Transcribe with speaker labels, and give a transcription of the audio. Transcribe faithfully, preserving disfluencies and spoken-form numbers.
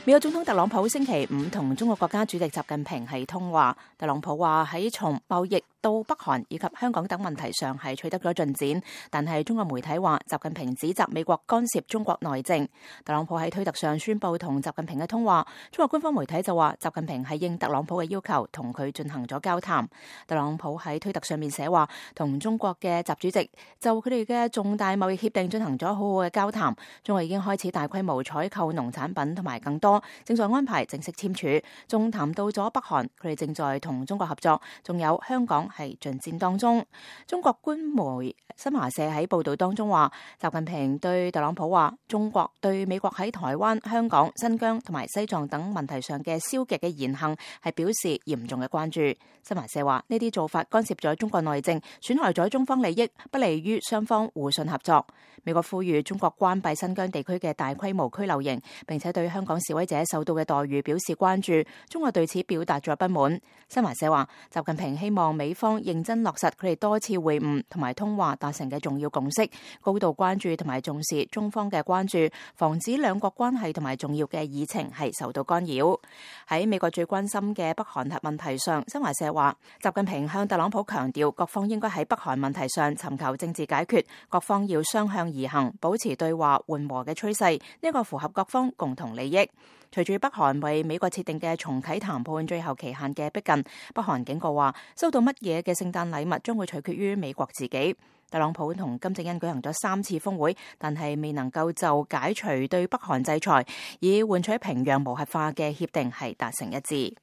Speaker 1: 美國總統特朗普星期五同中國國家主席習近平係通話。特朗普話喺從貿易到北韓以及香港等問題上係取得咗進展，但係中國媒體話習近平指責美國干涉中國內政。特朗普喺推特上宣布同習近平嘅通話，中國官方媒體就話習近平係應特朗普嘅要求同佢進行咗交談。特朗普喺推特上面寫話，同中國嘅習主席就佢哋嘅重大貿易協定進行咗好好嘅交談，中國已經開始大規模採購農產品同埋更多，正在安排正式簽署，仲談到咗北韓，佢哋正在同中國合作，仲有香港係進展當中。中國官媒新華社喺報道當中話，習近平對特朗普話，中國對美國喺台灣、香港、新疆同埋西藏等問題上嘅消極嘅言行係表示嚴重嘅關注。新華社話，呢啲做法干涉咗中國內政，損害咗中方利益，不利於雙方互信合作。美國呼籲中國關閉新疆地區嘅大規模拘留營，並且對香港示威者受到嘅待遇表示關注，中國對此表達咗不滿。新華社話，習近平希望美方認真落實佢哋多次會晤同埋通話達成嘅重要共識，高度關注同埋重視中方嘅關注，防止兩國關係同埋重要嘅議程係受到干擾。喺美國最關心嘅北韓核問題上，新華社話，習近平向特朗普強調，各方應該喺北韓問題上尋求政治解決，各方要雙向而行，保持對話緩和嘅趨勢，呢個符合各方共同利益。隨住北韓為美國設定嘅重啟談判最後期限嘅逼近，北韓警告話，收到乜嘢嘅聖誕禮物將會取決於美國自己。特朗普同金正恩舉行咗三次峰會，但係未能夠就解除對北韓制裁以換取平壤無核化嘅協定係達成一致。